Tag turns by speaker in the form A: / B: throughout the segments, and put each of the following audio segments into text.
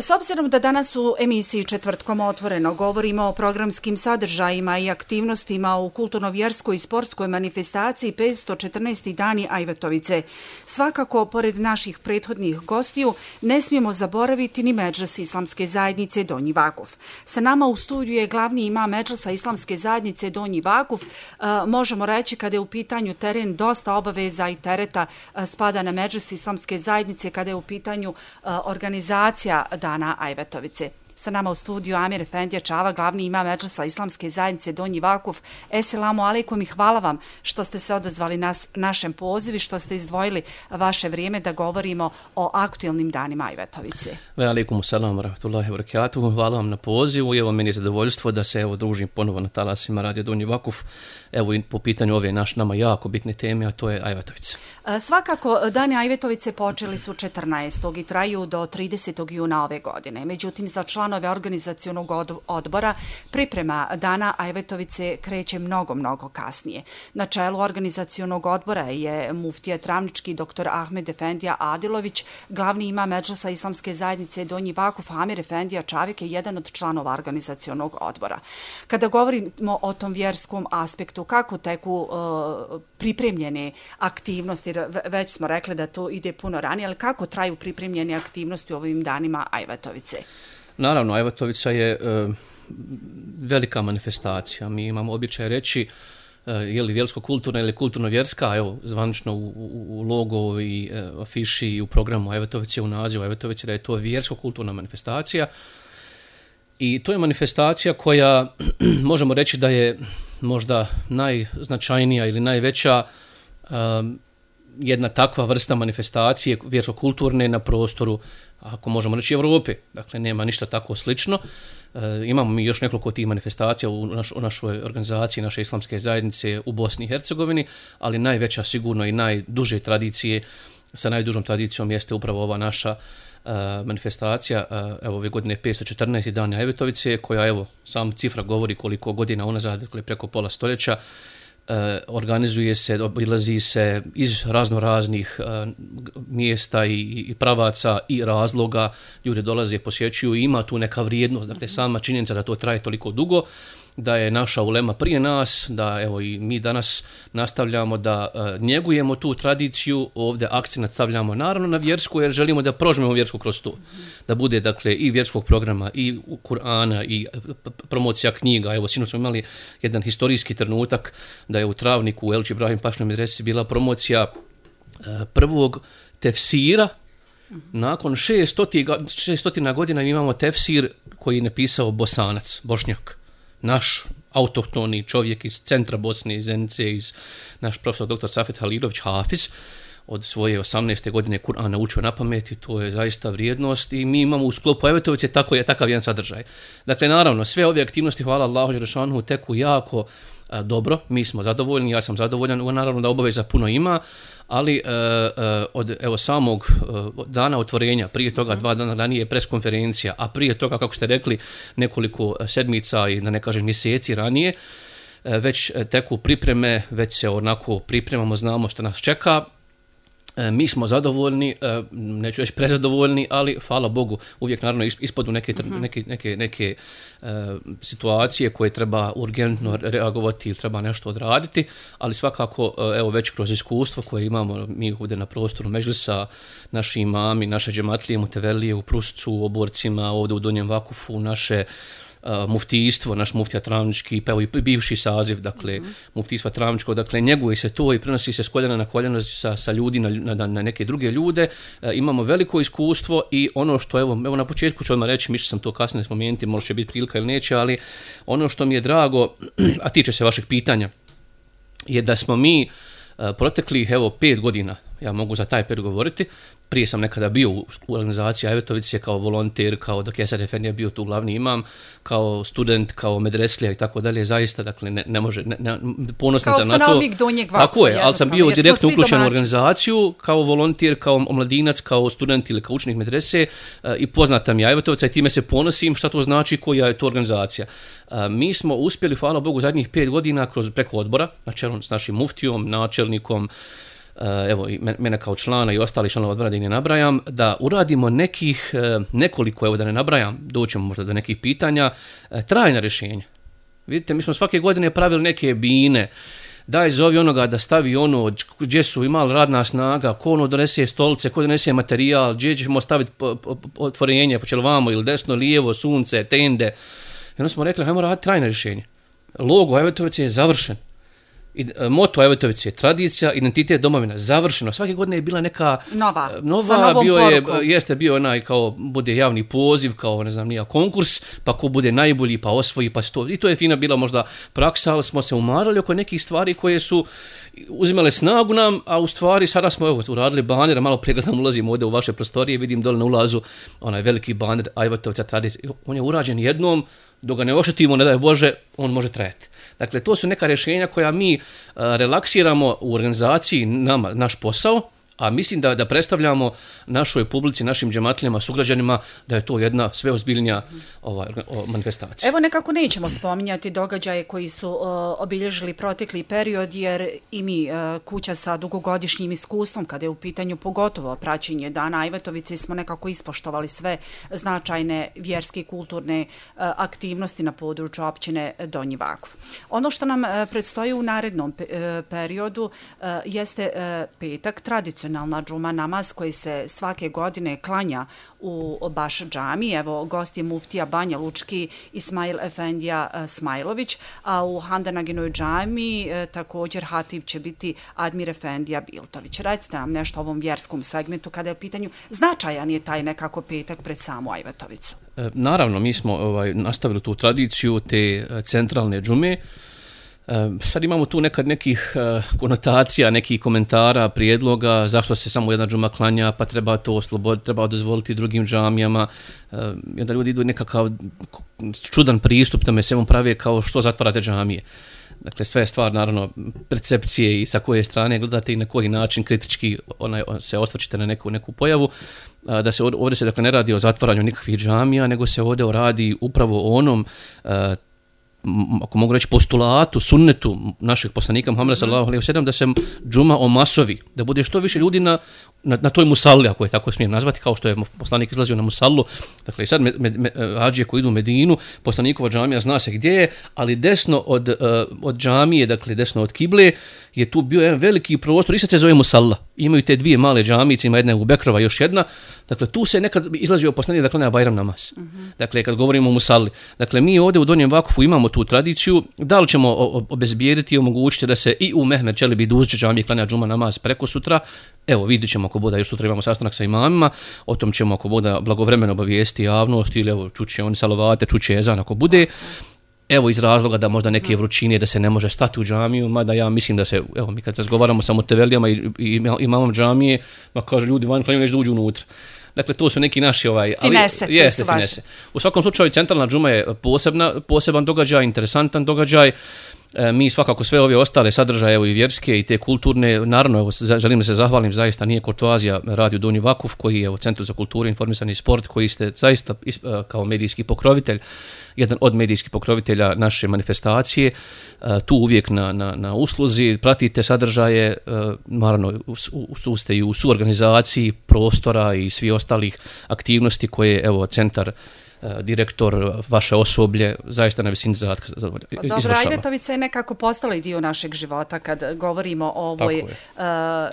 A: S obzirom da danas u emisiji Četvrtkom otvoreno govorimo o programskim sadržajima i aktivnostima u kulturno-vjerskoj i sportskoj manifestaciji 514. dani Ajvatovice, svakako, pored naših prethodnih gostiju, ne smijemo zaboraviti ni Medžlis Islamske zajednice Donji Vakuf. Sa nama u studiju je glavni imam Medžlisa Islamske zajednice Donji Vakuf. Možemo reći, kada je u pitanju teren, dosta obaveza i tereta spada na Medžlis Islamske zajednice kada je u pitanju organizacija Dana Ajvatovice. Sa nama u studiju Amir Efendija Čava, glavni imam Medžlisa Islamske zajednice Donji Vakuf. Eselamu alejkum i hvala vam što ste se odazvali našem pozivu, što ste izdvojili vaše vrijeme da govorimo o aktuelnim danima Ajvatovice.
B: Alejkum selam wa rahmetullahi wa barakatuhu. Hvala vam na pozivu i evo meni je zadovoljstvo da se družim ponovo na talasima Radio Donji Vakuf. Evo i po pitanju ove nama jako bitne teme, a to je Ajvatovica.
A: Svakako, dani Ajvatovice počeli su 14. i traju do 30. juna ove godine. Međutim, za članove organizacionog odbora priprema dana Ajvatovice kreće mnogo kasnije. Na čelu organizacionog odbora je muftija Travnički dr. Ahmed Efendija Adilović, glavni imam Medžlisa Islamske zajednice Donji Vakuf. Amir Efendija Čavik je jedan od članova organizacionog odbora. Kada govorimo o tom vjerskom aspektu, kako teku pripremljene aktivnosti, već smo rekli da to ide puno ranije, ali kako traju pripremljene aktivnosti u ovim danima Ajvatovice?
B: Naravno, Ajvatovica je velika manifestacija. Mi imamo običaj reći je li vjersko-kulturna ili kulturno-vjerska, evo zvanično u logo i afiši i u programu Ajvatovice, u nazivu Ajvatovice, da je to vjersko-kulturna manifestacija. I to je manifestacija koja možemo reći da je možda najznačajnija ili najveća jedna takva vrsta manifestacije vjersko-kulturne na prostoru, ako možemo reći, Europe. Dakle, nema ništa tako slično. Imamo mi još nekoliko tih manifestacija u našoj organizaciji, naše islamske zajednice u Bosni i Hercegovini, ali najveća sigurno i najduže tradicije, sa najdužom tradicijom jeste upravo ova naša manifestacija, evo ove godine 514. dani Ajvatovice, koja evo sam cifra govori koliko godina unazad, dakle preko pola stoljeća, organizuje se, obilazi se iz raznih mjesta i pravaca i razloga, ljudi dolaze, posjećuju i ima tu neka vrijednost, dakle sama činjenica da to traje toliko dugo, da je naša ulema prije nas, da evo i mi danas nastavljamo da njegujemo tu tradiciju, ovdje akcent stavljamo naravno na vjersku jer želimo da prožmemo vjersku kroz to. Da bude dakle i vjerskog programa i Kur'ana i promocija knjiga. Evo sinoć smo imali jedan historijski trenutak da je u Travniku u Elči Ibrahim Pašnoj medresi bila promocija prvog tefsira. Nakon 600 godina imamo tefsir koji je napisao Bosanac, Bošnjak. Naš autohtoni čovjek iz centra Bosne, iz Zenice, naš profesor dr. Safet Halilović, Hafiz, od svoje 18. godine Kur'an naučio na pamet i to je zaista vrijednost i mi imamo u sklopu Ajvatovice takav jedan sadržaj. Dakle, naravno, sve ove aktivnosti, hvala Allahu dželešanu, teku jako dobro, mi smo zadovoljni, ja sam zadovoljan, naravno da obaveza puno ima, ali od samog dana otvorenja, prije toga 2 dana ranije preskonferencija, a prije toga, kako ste rekli, nekoliko sedmica i da ne kažem mjeseci ranije, već teku pripreme, već se onako pripremamo, znamo što nas čeka. Mi smo zadovoljni, neću reći prezadovoljni, ali hvala Bogu uvijek naravno ispadu neke situacije koje treba urgentno reagovati ili treba nešto odraditi, ali svakako evo već kroz iskustvo koje imamo mi ovdje na prostoru Medžlisa, naši imami, naše džematlije, mutevelije u Pruscu, u Oborcima, ovdje u Donjem Vakufu, naše muftijstvo, naš muftija Travnički, pa evo i bivši saziv, dakle, muftijstva Travničkog, dakle, njeguje se to i prenosi se s koljena na koljeno sa ljudi na neke druge ljude. Imamo veliko iskustvo i ono što, evo na početku ću odmah reći, mislio sam to kasnije spomenuti, možda će biti prilika ili neće, ali ono što mi je drago, a tiče se vašeg pitanja, je da smo mi proteklih, 5 godina, ja mogu za taj period govoriti, prije sam nekada bio u organizaciji Ajvatovice kao volonter, kao dok Esad Efendija bio tu glavni imam, kao student, kao medreslija i tako dalje, zaista, dakle, ne može, ponosan sam na to. Kao
A: stanovnik Donjeg Vakfa.
B: Tako je, ali sam bio direktno uključen u organizaciju, kao volonter, kao omladinac, kao student ili kao učenik medrese i poznata mi Ajvatovica i time se ponosim šta to znači, koja je to organizacija. Mi smo uspjeli, hvala Bogu, zadnjih 5 godina preko odbora, na čelu s našim muftijom, načelnikom, evo i mene kao člana i ostali članova odbora da ih ne nabrajam, da uradimo nekoliko, evo da ne nabrajam, doćemo možda do nekih pitanja, trajna rješenja. Vidite, mi smo svake godine pravili neke bine, daj zovi onoga da stavi ono gdje su imali radna snaga, ko ono donese stolice, ko donese materijal, gdje ćemo staviti otvorenje, počelo vamo ili desno, lijevo, sunce, tende. I onda smo rekli, hajmo raditi trajne rješenje. Logo Ajvatovice je završen. Moto Ajvatovice je tradicija, identitet, domovina, završeno. Svake godine je bila neka nova bio onaj kao bude javni poziv, kao ne znam nija konkurs, pa ko bude najbolji, pa osvoji, pa sto. I to je fina bila možda praksa, ali smo se umarali oko nekih stvari koje su uzimale snagu nam, a u stvari sada smo uradili baner, malo prije gledam ulazim ovdje u vaše prostorije, vidim dole na ulazu onaj veliki baner Ajvatovica tradicija. On je urađen jednom, dok ga ne oštetimo, ne daj Bože, on može trajati. Dakle, to su neka rješenja koja mi relaksiramo u organizaciji, naš posao, a mislim da predstavljamo našoj publici, našim džematlijama, sugrađanima, da je to jedna sve ozbiljnija manifestacija.
A: Evo nekako nećemo spominjati događaje koji su obilježili protekli period, jer i mi, kuća sa dugogodišnjim iskustvom, kada je u pitanju pogotovo praćenje Dana Ajvatovice, smo nekako ispoštovali sve značajne vjerske i kulturne aktivnosti na području općine Donji Vakuf. Ono što nam predstoji u narednom periodu jeste petak, tradicionalna džuma namaz koji se svake godine klanja u Baš džami. Evo, gost je muftija Banja Lučki Ismail Efendija Smajlović, a u Handanaginoj džami također hatib će biti Admir Efendija Biltović. Recite nam nešto o ovom vjerskom segmentu kada je u pitanju značajan je taj nekako petak pred samu Ajvatovicu.
B: Naravno, mi smo nastavili tu tradiciju te centralne džume. Sad imamo tu nekih konotacija, nekih komentara, prijedloga, zašto se samo jedna džuma klanja, pa treba to osloboditi, treba dozvoliti drugim džamijama. I onda ljudi idu nekakav čudan pristup, tome se prave kao što zatvarate džamije. Dakle, sve je stvar, naravno, percepcije i sa koje strane gledate i na koji način kritički se osvrćete na neku pojavu. Da se ovdje se dakle ne radi o zatvaranju nikakvih džamija, nego se ovdje radi upravo o onom ako mogu reći postulatu, sunnetu našeg poslanika Muhameda sallallahu alejhi ve sellem da se džuma omasovi, da bude što više ljudi na toj musalli, ako je tako smijem nazvati, kao što je poslanik izlazio na musallu. Dakle, i sad hadžije koji idu u Medinu, poslanikova džamija zna se gdje je, ali desno od džamije, dakle desno od kible, je tu bio jedan veliki prostor, i sad se zove musalla. Imaju te dvije male džamice, ima jedna u Bekrova, još jedna. Dakle, tu se nekad izlazio poslanik da klanja Bajram namaz. Dakle, kad govorimo o musalli. Dakle, mi ovdje u Donjem Vakufu imamo tu tradiciju, da li ćemo obezbijediti i omogućiti da se i u Mehmed Čelebi Duzić džamije klanja džuma namaz preko sutra. Evo, vidit ćemo ako bude, još sutra imamo sastanak sa imamima, o tom ćemo ako bude blagovremeno obavijesti javnost ili evo, čuće oni salavate, čuće ezan ako bude. Evo iz razloga da možda neke vrućine da se ne može stati u džamiju, mada ja mislim da se, evo mi kad razgovaramo sa mutevelijama i imamom džamije, ma kaže ljudi van klanju neće da uđu unutra. Dakle, to su neki naši finese. U svakom slučaju, centralna džuma je poseban događaj, interesantan događaj. Mi svakako sve ove ostale sadržaje, evo i vjerske i te kulturne, naravno, evo, želim da se zahvalim, zaista nije kurtoazija Radio Donji Vakuf, koji je u Centru za kulturu, informisanje i sport, koji ste zaista kao medijski pokrovitelj, jedan od medijskih pokrovitelja naše manifestacije, tu uvijek na usluzi, pratite sadržaje, naravno ste i u suorganizaciji prostora i svi ostalih aktivnosti koje, evo, centar, direktor, vaše osoblje, zaista na visini zadatka izvršava.
A: Dobro, Ajvatovica je nekako postala i dio našeg života kad govorimo o ovoj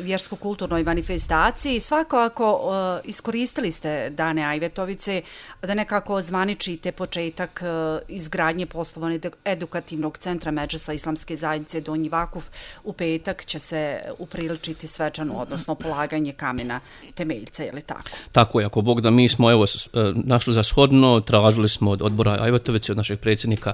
A: vjersko-kulturnoj manifestaciji. Svakako iskoristili ste Dane Ajvatovice da nekako ozvaničite početak izgradnje poslovno-edukativnog centra Medžlisa Islamske zajednice Donji Vakuf. U petak će se upriličiti svečano, odnosno polaganje kamena temeljca, je li tako?
B: Tako je, ako Bog da, mi smo evo našli za shodno, tražili smo od odbora Ajvatovice, od našeg predsjednika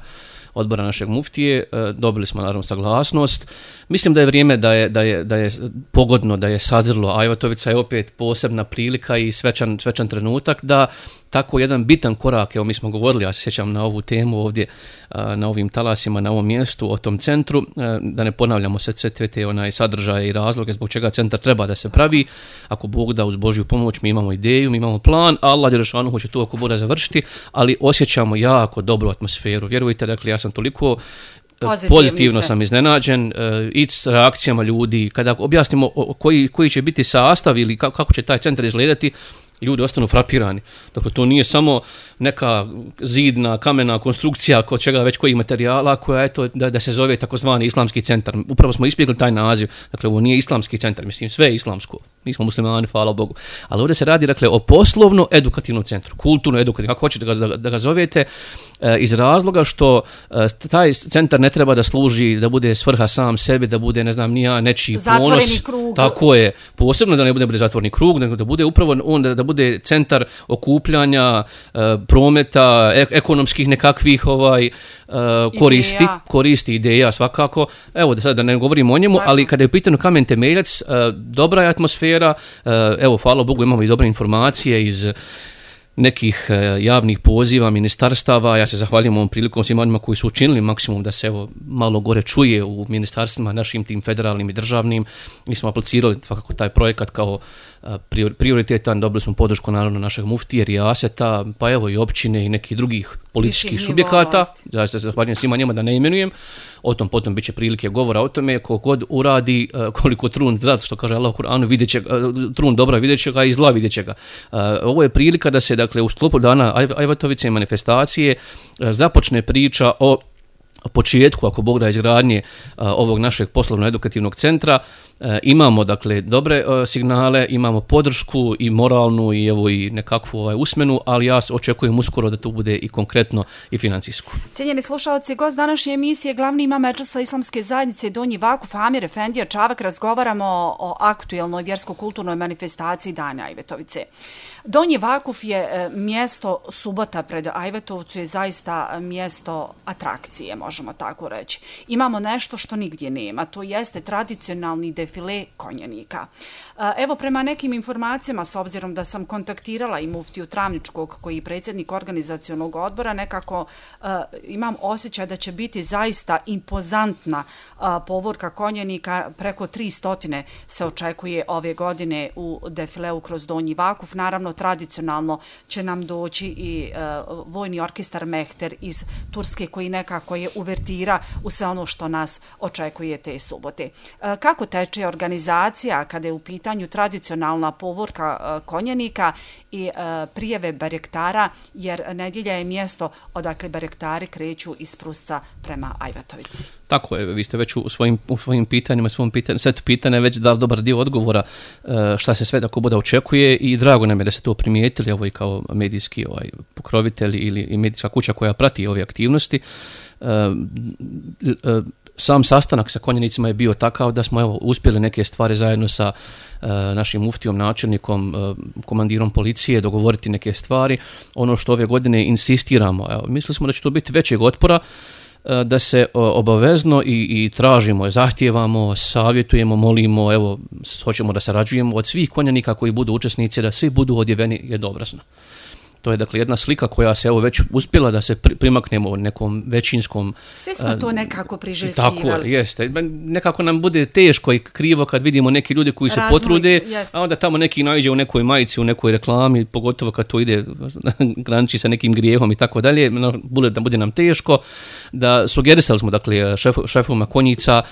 B: odbora našeg muftije, dobili smo naravno saglasnost. Mislim da je vrijeme da je pogodno, da je sazrilo. Ajvatovica je opet posebna prilika i svečan trenutak da tako jedan bitan korak, evo mi smo govorili, ja se sjećam na ovu temu ovdje, na ovim talasima, na ovom mjestu, o tom centru, da ne ponavljamo sve te sadržaje i razloge zbog čega centar treba da se pravi. Ako Bog da, uz Božju pomoć, mi imamo ideju, mi imamo plan, Allah dželešanu će to ako bude završiti, ali osjećamo jako dobru atmosferu. Vjerujte, dakle, ja sam toliko pozitivno sam iznenađen i s reakcijama ljudi. Kada objasnimo koji će biti sastav ili kako će taj centar izgledati, ljudi ostanu frapirani. Dakle, to nije samo neka zidna, kamena konstrukcija kod čega već kojih materijala koja je to da se zove takozvani islamski centar. Upravo smo ispjegli taj naziv. Dakle, ovo nije islamski centar, mislim, sve je islamsko. Nismo muslimani, hvala Bogu. Ali ovdje se radi, dakle, o poslovno-edukativnom centru, kulturno-edukativnom, kako hoćete da ga zovete, iz razloga što taj centar ne treba da služi, da bude svrha sam sebi, da bude, ne znam, nečiji ponos.
A: Zatvoreni krug.
B: Tako je. Posebno da ne bude zatvoreni krug, nego da bude upravo on da bude centar okupljanja, prometa, ekonomskih nekakvih koristi, ideja svakako. Evo da sad da ne govorimo o njemu, ali kada je u pitanju kamen temeljac, dobra je atmosfera, evo hvala Bogu imamo i dobre informacije iz nekih javnih poziva, ministarstava. Ja se zahvaljujem ovom prilikom svima onima koji su učinili maksimum da se evo malo gore čuje u ministarstvima našim tim federalnim i državnim. Mi smo aplicirali svakako taj projekat kao prioritetan, dobili smo podršku naravno našeg muftije, Rijaseta, pa evo i općine i nekih drugih političkih subjekata. Ja se zahvaljujem svima njima da ne imenujem. O tom potom bit će prilike govora o tome, kogod uradi, koliko trun zdrav, što kaže Allah u Kur'anu, vidjet će ga, trun dobra vidjet će ga i zla vidjet će ga. Ovo je prilika da se, dakle, u sklopu dana Ajvatovice i manifestacije započne priča o početku, ako Bog da, izgradnje ovog našeg poslovno-edukativnog centra. Imamo, dakle, dobre signale, imamo podršku i moralnu i evo i nekakvu usmenu, ali ja očekujem uskoro da to bude i konkretno i financijsko.
A: Cijenjeni slušalci, gost današnje emisije, glavni imam Medžlisa Islamske zajednice Donji Vakuf Amir Efendija Čavak, razgovaramo o aktuelnoj vjersko-kulturnoj manifestaciji Dana Ajvetovice. Donji Vakuf je mjesto subota pred Ajvetovcu, je zaista mjesto atrakcije, možemo tako reći. Imamo nešto što nigdje nema, to jeste tradicionalni defile konjenika. Evo, prema nekim informacijama, s obzirom da sam kontaktirala i muftiju Travničkog, koji je predsjednik organizacionog odbora, nekako imam osjećaj da će biti zaista impozantna povorka konjenika. Preko 300 se očekuje ove godine u defileu kroz Donji Vakuf. Naravno, tradicionalno će nam doći i vojni orkestar Mehter iz Turske, koji nekako je uvertira u sve ono što nas očekuje te subote. Kako teče organizacija kada je u pitanju tradicionalna povorka konjenika i prijeve barektara, jer nedjelja je mjesto odakle barektari kreću iz Prusca prema Ajvatovici?
B: Tako je, vi ste već u svojim pitanjima, setu pitanja već dali dobar dio odgovora šta se sve tako bude očekuje i drago nam je da ste to primijetili, ovo i kao medijski pokrovitelj ili medijska kuća koja prati ove aktivnosti. Sam sastanak sa konjenicima je bio takav da smo uspjeli neke stvari zajedno sa našim muftijom, načelnikom, komandirom policije dogovoriti neke stvari. Ono što ove godine insistiramo, mislili smo da će to biti većeg otpora, da se obavezno i tražimo, zahtijevamo, savjetujemo, molimo, evo, hoćemo da sarađujemo od svih konjanika koji budu učesnici, da svi budu odjeveni jednoobrazno. To je, dakle, jedna slika koja se evo već uspjela da se primaknemo nekom većinskom...
A: Svi smo to nekako priželjkivali.
B: Tako jeste. Nekako nam bude teško i krivo kad vidimo neki ljudi koji se potrude, a onda tamo neki naiđe u nekoj majici, u nekoj reklami, pogotovo kad to ide graniči sa nekim grijehom i tako dalje, da bude nam teško. Da sugerisali smo, dakle, šefovima konjica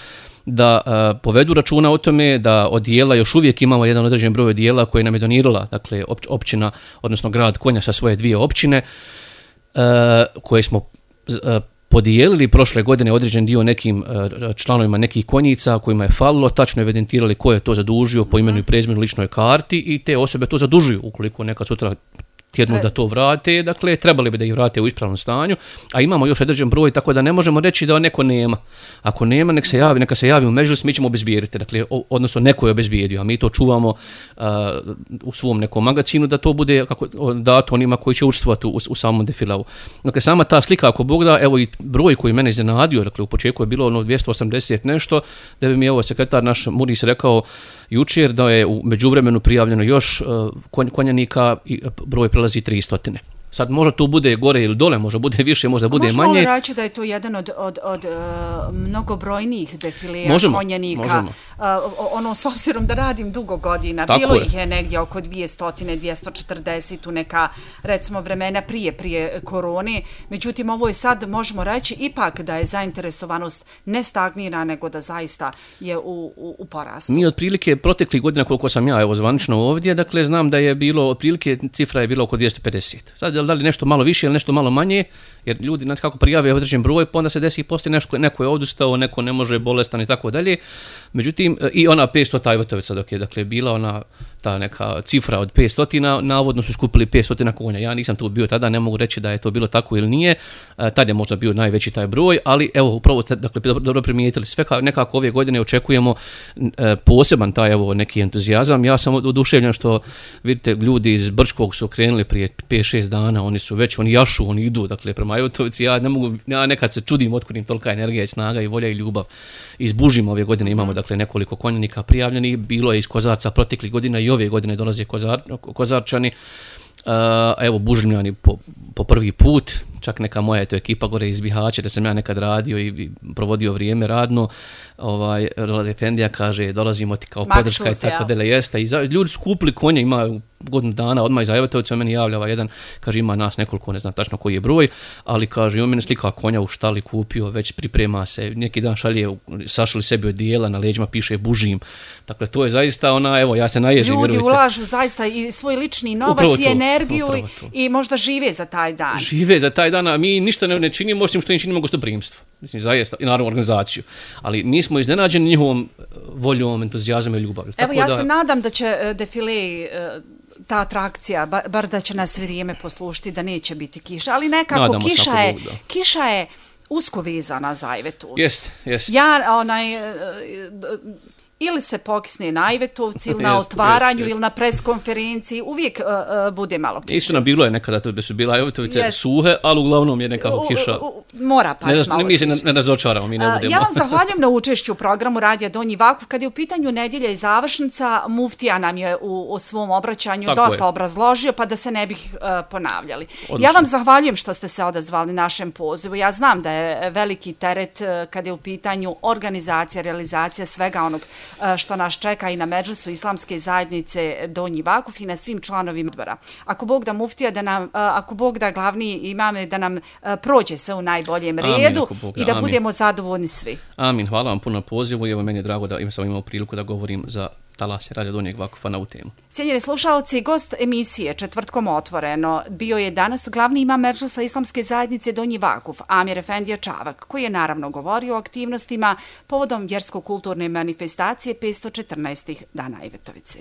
B: da povedu računa o tome, da odijela još uvijek imamo jedan određen broj odijela koje nam je donirala, dakle, općina, odnosno grad Konja sa svoje 2 općine, koje smo podijelili prošle godine određen dio nekim članovima nekih konjica kojima je falilo, tačno evidentirali ko je to zadužio po imenu i prezimenu, ličnoj karti, i te osobe to zadužuju ukoliko nekad sutra tjednu da to vrate, dakle, trebali bi da ih vrate u ispravnom stanju, a imamo još određen broj, tako da ne možemo reći da neko nema. Ako nema, neka se javi u Medžlis, mi ćemo obezbijediti, dakle, odnosno neko je obezbijedio, a mi to čuvamo u svom nekom magazinu da to bude dato onima koji će učestvovati u samom defilau. Dakle, sama ta slika, ako Bog da, evo i broj koji mene iznenadio, dakle, u početku je bilo 280 nešto, da bi mi sekretar naš Muris rekao jučer da je u međuvremenu prijavljeno još konjanika i broj prelazi 300. Sad možda tu bude gore ili dole, možda bude više, možda bude manje.
A: Možemo li reći da je to jedan od mnogobrojnijih defileja konjanika? Ono, s obzirom da radim dugo godina, tako bilo ih je negdje oko 200-240 u neka, recimo, vremena prije korone. Međutim, ovo je sad, možemo reći, ipak da je zainteresovanost ne stagnira, nego da zaista je u porastu.
B: Mi otprilike proteklih godina, koliko sam ja zvanično ovdje, dakle, znam da je bilo, otprilike cifra je bila oko 250. Sad, da li nešto malo više ili nešto malo manje, jer ljudi, znači, kako prijave određen broj, pa onda se desi i poslije neko je odustao, neko ne može, bolestan i tako dalje. Međutim, i ona 500 Ajvatovica dok je, dakle, bila ona ta neka cifra od 500, navodno su skupili 500 konja. Ja nisam tu bio tada, ne mogu reći da je to bilo tako ili nije. Tad je možda bio najveći taj broj, ali evo, upravo ste, dakle, dobro primijetili, sve nekako ove godine očekujemo poseban taj, evo, neki entuzijazam. Ja sam oduševljen što, vidite, ljudi iz Brčkog su krenuli prije 5-6 dana, oni jašu, oni idu, dakle, prema Ajvatovici. Ja nekad se čudim otkud im tolika energija i snaga i volja i ljubav. Iz Bužima ove godine imamo, dakle, nekoliko konjanika prijavljenih, bilo je iz Kozarca proteklih godina i ove godine dolaze Kozarčani. Evo, Bužimljani po prvi put, čak neka moja je to ekipa gore iz Bihaća, da sam ja nekad radio i provodio vrijeme radno, Roland Efendija kaže, dolazimo ti kao podrška i tako dele jeste. I ljudi su kupili konje, ima godinu dana, odmah iz Ajvatovica meni javlja jedan, kaže, ima nas nekoliko, ne znam tačno koji je broj, ali kaže, on mene slika konja u štali kupio, već priprema se, neki dan sašli sebi odijela, na leđima piše Bužim. Dakle, to je zaista evo, ja se naježim.
A: Ljudi ulažu zaista i svoj lični novac i energiju i možda žive za taj dan.
B: Žive za taj dan, a mi ništa ne činimo, osim što im činimo gostoprimstvo. Mislim, zaista, i naravno organizaciju. Ali mi smo iznenađeni njihovom voljom, entuzijazmom i ljubavlju.
A: Evo, ja se nadam da će defile, ta atrakcija, bar da će nas vrijeme poslušiti, da neće biti kiša, ali nekako kiša je usko vezana za Ajvetovac.
B: Jest.
A: Ja, ili se pokisne na Ajvetovci, ili na otvaranju, ili na preskonferenciji, uvijek bude malo kiša.
B: Istina, bilo je nekada da su bile Ajvetovice suhe, ali uglavnom je nekako kiša.
A: Mora pasti malo kiša.
B: Mi se ne razočaramo, mi ne budemo.
A: Ja vam zahvaljujem na učešću u programu Radija Donji Vakuf. Kad je u pitanju nedjelja i završnica, muftija nam je u svom obraćanju dosta obrazložio, pa da se ne bih ponavljali. Odlično. Ja vam zahvaljujem što ste se odazvali našem pozivu. Ja znam da je veliki teret kad je u pitanju organizacija, realizacija svega onog što nas čeka i na Medžlisu Islamske zajednice Donji Vakuf i na svim članovima odbora. Ako Bog da muftija, ako Bog da glavni imame, da nam prođe se u najboljem redu i da budemo zadovoljni svi.
B: Amin, hvala vam puno na pozivu i evo meni je drago da sam imao priliku da govorim za talase Radija Donjeg Vakufa na ovu temu.
A: Cijenjeni slušalci, gost emisije Četvrtkom otvoreno bio je danas glavni imam Medžlisa Islamske zajednice Donji Vakuf, Amir Efendija Čavak, koji je naravno govorio o aktivnostima povodom vjersko-kulturne manifestacije 514. Dana Ajvetovice.